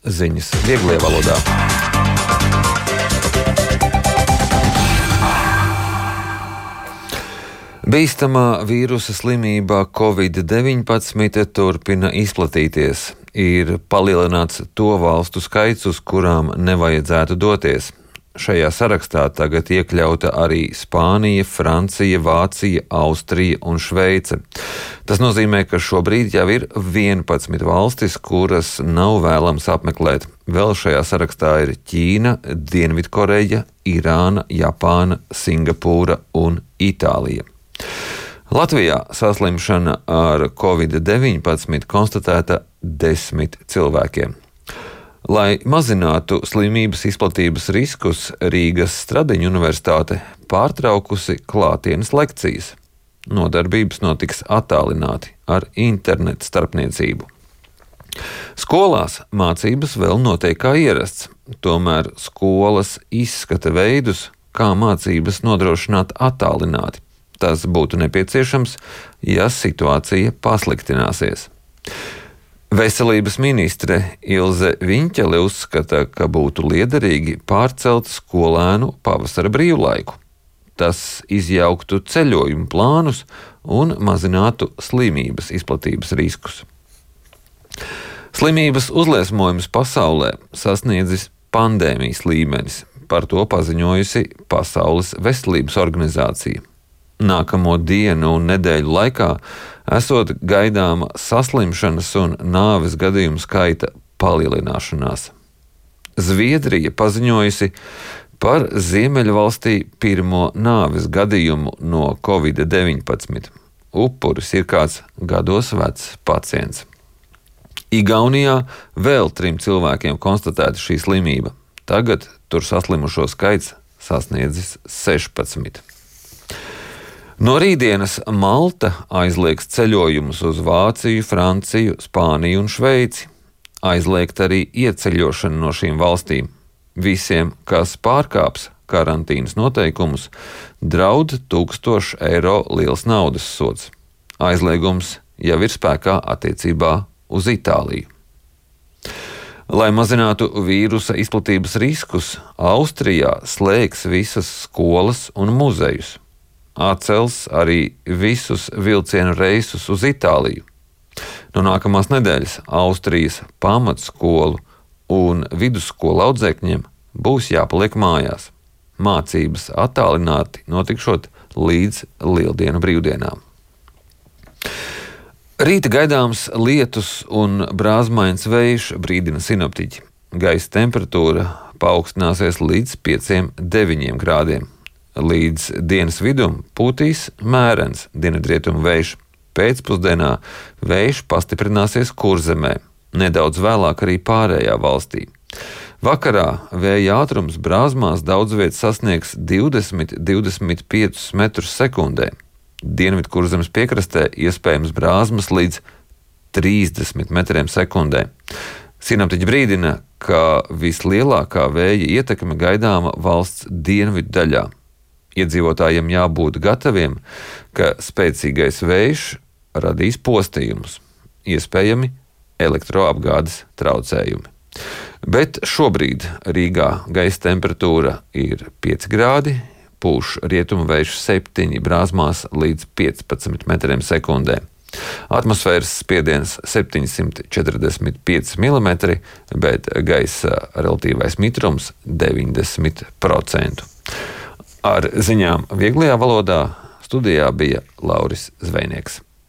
ziņas vieglajā valodā. Bīstamā vīrusa slimība Covid-19 turpina izplatīties. Ir palielināts to valstu skaits, uz kurām nevajadzētu doties. Šajā sarakstā tagad iekļauta arī Spānija, Francija, Vācija, Austrija un Šveice. Tas nozīmē, ka šobrīd jau ir 11 valstis, kuras nav vēlams apmeklēt. Vēl šajā sarakstā ir Ķīna, Dienvidkoreja, Irāna, Japāna, Singapūra un Itālija. Latvijā saslimšana ar Covid-19 konstatēta 10 cilvēkiem. Lai mazinātu slimības izplatības riskus, Rīgas Stradiņu universitāte pārtraukusi klātienes lekcijas. Nodarbības notiks attālināti ar internetu starpniecību. Skolās mācības vēl notiek kā ierasts, tomēr skolas izskata veidus, kā mācības nodrošināt attālināti. Tas būtu nepieciešams, ja situācija pasliktināsies. Veselības ministre Ilze Viņķele uzskata, ka būtu liederīgi pārcelt skolēnu pavasara brīvlaiku. Tas izjauktu ceļojumu plānus un mazinātu slimības izplatības riskus. Slimības uzliesmojums pasaulē sasniedzis pandēmijas līmenis, par to paziņojusi Pasaules veselības organizācija. Nākamo dienu un nedēļu laikā esot gaidāma saslimšanas un nāves gadījumu skaita palielināšanās. Zviedrija paziņojusi par Ziemeļvalstī pirmo nāves gadījumu no Covid-19. Upuris ir kāds gados vecs pacients. Igaunijā vēl 3 cilvēkiem konstatēta šī slimība. Tagad tur saslimušo skaits sasniedzis 16. No rītdienas Malta aizliegs ceļojumus uz Vāciju, Franciju, Spāniju un Šveici. Aizliegt arī ieceļošanu no šīm valstīm. Visiem, kas pārkāps karantīnas noteikumus, draud 1000 eiro liels naudas sods. Aizliegums jau ir spēkā attiecībā uz Itāliju. Lai mazinātu vīrusa izplatības riskus, Austrijā slēgs visas skolas un muzejus. Atcels arī visus vilcienu reisus uz Itāliju. No nākamās nedēļas Austrijas pamatskolu un vidusskolu audzēkņiem būs jāpaliek mājās. Mācības attālināti notikšot līdz Lieldienu brīvdienām. Rīta gaidāms lietus un brāzmains vējš, brīdina sinoptiķi. Gaisa temperatūra paaugstināsies līdz 5–9 grādiem. Līdz dienas vidum pūtīs mērens dienvidrietumu vējš. Pēcpusdienā vējš pastiprināsies Kurzemē, nedaudz vēlāk arī pārējā valstī. Vakarā vēja ātrums brāzmās daudz viet sasniegs 20–25 metrus sekundē. Dienvidkurzemes piekrastē iespējams brāzmas līdz 30 metriem sekundē. Sinoptiķi brīdina, ka vislielākā vēja ietekme gaidāma valsts dienvidu daļā. Iedzīvotājiem jābūt gataviem, ka spēcīgais vējš radīs postījumus, iespējami elektroapgādes traucējumi. Bet šobrīd Rīgā gaisa temperatūra ir 5 grādi, pūš rietumu vējš 7 brāzmās līdz 15 metriem sekundē. Atmosfēras spiediens 745 mm, bet gaisa relatīvais mitrums 90%. Ar ziņām vieglajā valodā studijā bija Lauris Zvejnieks.